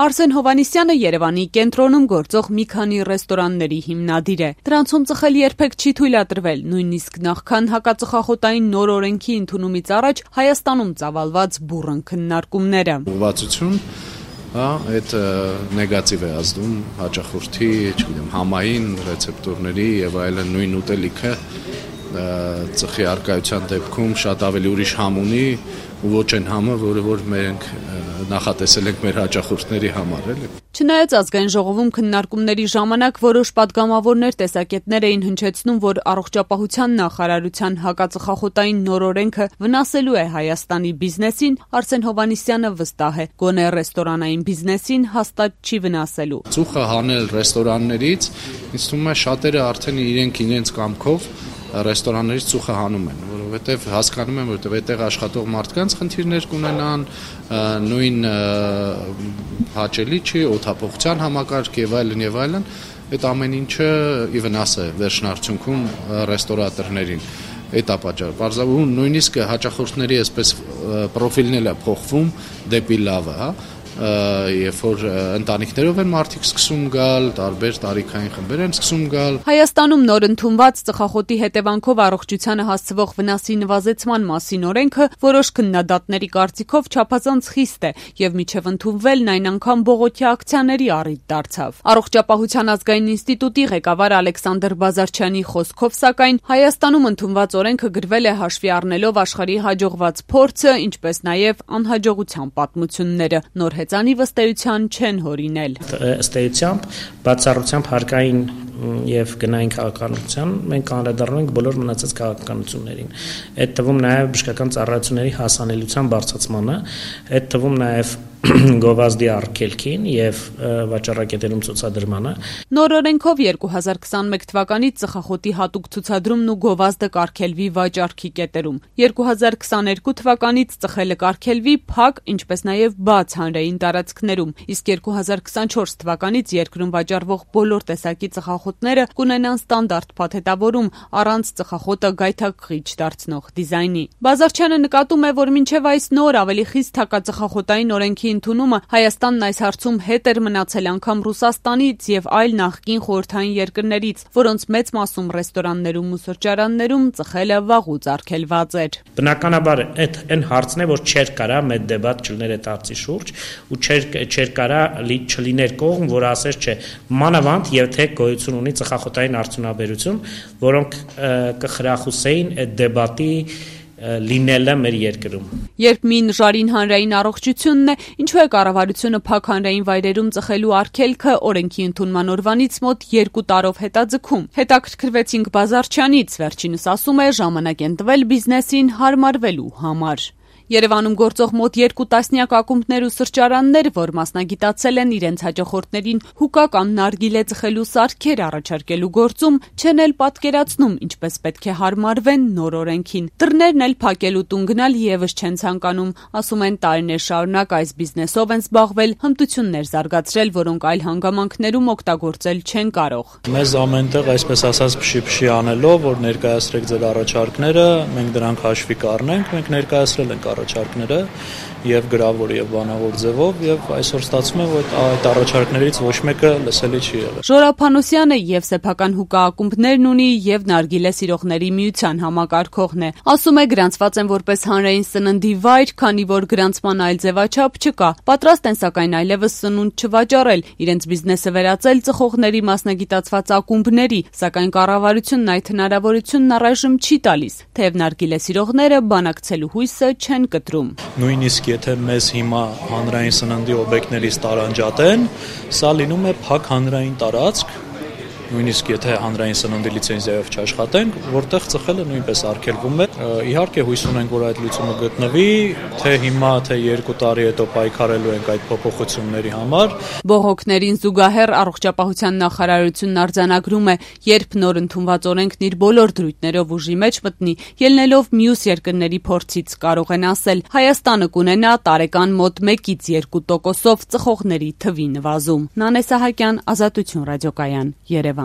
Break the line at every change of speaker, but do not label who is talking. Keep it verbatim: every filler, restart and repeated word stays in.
Արսեն Հովհաննիսյանը Երևանի կենտրոնում գործող մի քանի ռեստորանների հիմնադիր է։ Դրանցում ծխել երբեք չի թույլատրվել, նույնիսկ նախքան հակածխախոտային նոր օրենքի ընդունումից առաջ Հայաստանում ծավալված բուռն քննարկումները։
Ուղղվածություն, հա, այդ նեգատիվ է ազդում հաճախորդի, չգիտեմ, համային ռեցեպտորների եւ այլն նույն ուտելիքը ծխի արկայության դեպքում շատ ավելի ուրիշ համ ունի ու ոչ այն համը, որը որ մենք նախատեսել ենք մեր հաճախորդների համար, էլի։
Չնայած ազգային ժողովում քննարկումների ժամանակ որոշ պատգամավորներ տեսակետներ էին հնչեցնում, որ առողջապահության նախարարության հակածխախոտային նոր օրենքը վնասելու է Հայաստանի բիզնեսին, Արսեն Հովհաննիսյանը վստահ է, գոնե ռեստորանային բիզնեսին հաստատ չի վնասելու։
Ծուխը հանել ռեստորաններից, ինձ թվում է շատերը արդեն իրենք իրենց կամքով ռեստորաններից ծուխը հանում են, որովհետև հասկանում են, որովհետև այդտեղ աշխատող մարդկանց խնդիրներ կունենան, նույն հաճելի չի, օդափոխության համակարգ եւ այլն եւ այլն, այդ ամեն ինչը ի վնաս է վերջնարդյունքում ռեստորատորներին։ Այդ է պատճառը։ Պարզաբանում նույնիսկ հաճախորդների այսպես պրոֆիլն էլ է փոխվում դեպի լավը, հա։ Երբ որ ընտանիքներով են մարդիկ սկսում գալ, տարբեր տարիքային խմբեր են սկսում գալ։
Հայաստանում նոր ընդունված ծխախոտի հետևանքով առողջությանը հասցվող վնասի նվազեցման մասին օրենքը որոշ քննադատների կարծիքով չափազանց խիստ է եւ մինչեւ ընդունվելն այն անգամ բողոքի ակցիաների առիթ դարձավ։ Առողջապահության ազգային ինստիտուտի ղեկավար Ալեքսանդր Բազարչյանի խոսքով, սակայն Հայաստանում ընդունված օրենքը գրվել է հաշվի առնելով աշխարհի հաջողված փորձը, ինչպես նաեւ անհաջողության պատմությունները։ Նոր հեծանի վստահության չեն հորինել։
Ըստ էությամբ բացառությամբ հարկային եւ գնային քաղաքականության մենք անդրադառնում ենք բոլոր մնացած քաղաքականություններին։ Այդ թվում նաեւ բժշկական ծառայությունների հասանելիության բարձրացմանը, այդ թվում նաեւ գովազդի արգելքին եւ վաճառակետերում ցուցադրմանը։
Նոր օրենքով երկու հազար քսանմեկ թվականից ծխախոտի հատուկ ցուցադրումն ու գովազդը կարգելվի վաճառքի կետերում։ երկու հազար քսաներկու թվականից ծխելը կարգելվի փակ, ինչպես նաեւ բաց հանրային տարածքներում, իսկ երկու հազար քսանչորս թվականից երկրում վաճառվող բոլոր տեսակի ծխախոտները կունենան ստանդարտ փաթեթավորում առանց ծխախոտը գայթակղիչ դարձնող դիզայնի։ Բազարչյանը նկատում է, որ մինչև այս նոր ավելի խիստ հակածխախոտային օրենքի ընդունումը Հայաստանն այս հարցում հետ էր մնացել անգամ Ռուսաստանից եւ այլ նախկին խորհրդային երկրներից, որոնց մեծ մասում ռեստորաններում ու սրճարաններում ծխելը վաղուց արգելված էր։
Բնականաբար այդ այն հարցն է, որ չէր կարա մեծ դեբատ չլիներ այդ հարցի շուրջ ու չէր չէր կարա չլիներ կողմ, որ ասես չէ, մանավանդ եւ թե գոյություն ունի ծխախոտային արդյունաբերություն, որոնք կխրախուսեին այդ դեբատի լինելը մեր երկրում։
Երբ մին ժարին հանրային առողջությունն է, ինչու է կառավարությունը փակ հանրային վայրերում ծխելու արգելքը օրենքի ընդունման օրվանից մոտ երկու տարով հետաձգում։ Հետաքրքրվեցինք Բազարչյանից, վերջինս ասում է, ժամանակ են տվել բիզնեսին հարմարվելու համար։ Երևանում գործող մոտ երկու տասնյակ ակումբներ ու սրճարաններ, որ մասնագիտացել են իրենց հաճախորդներին հուկա կամ նարգիլե ծխելու սարքեր առաջարկելու գործում, չեն էլ պատկերացնում, ինչպես պետք է հարմարվեն նոր օրենքին։ Դռներն էլ փակելու տուն գնալ եւս չեն ցանկանում, ասում են տարիներ շարունակ այս բիզնեսով են զբաղվել, հմտություններ զարգացրել, որոնք այլ հանգամանքներում օգտագործել չեն կարող։
Մեզ ամենտեղ այսպես ասած փշի-փշի անելով, որ ներկայացրեք ձեր առաջարկները, մենք դրանք հաշվի կառնենք, մենք ներկայացրել ենք առաջարկները եւ գրավոր եւ բանավոր ձևով եւ այսօր ստացվում է, որ այդ առաջարկներից ոչ մեկը լսելի չի եղել։
Ժորա Փանոսյանը եւ սեփական հուկա ակումբներն ունի եւ նարգիլե սիրողների միության համակարգողն է։ Ասում է, գրանցված են որպես հանրային սննդի վայր, քանի որ գրանցման այլ ձևաչափ չկա։ Պատրաստ են սակայն այլևս սնունդ չվաճառել, իրենց բիզնեսը վերածել ծխողների մասնագիտացված ակումբների, սակայն կառավարությունն այդ հնարավորությունն առայժմ չի տալիս, թեև նարգիլե սիրողները բանակցելու հույսը չեն կտրում։
Նույնիսկ եթե մեզ հիմա հանրային սննդի օբյեկտներից տարանջատեն, սա լինում է փակ հանրային տարածք, նույնիսկ եթե հանրային սննդի լիցենզիայով չաշխատենք, որտեղ ծխելը նույնպես արգելվում է։ Իհարկե հույս ունենք, որ այդ լուծումը գտնվի, թե հիմա, թե երկու տարի հետո պայքարելու ենք այդ փոփոխությունների համար։
Բողոքներին զուգահեռ առողջապահության նախարարությունն արձանագրում է, երբ նոր ընդունված օրենքն իր բոլոր դրույթներով ուժի մեջ մտնի, ելնելով մյուս երկրների փորձից, կարող են ասել, Հայաստանը կունենա տարեկան մոտ մեկից երկու տոկոսով ծխողների թվի նվազում։ Նանե Սահակյան, Ազատություն ռադիոկայան, Երևան։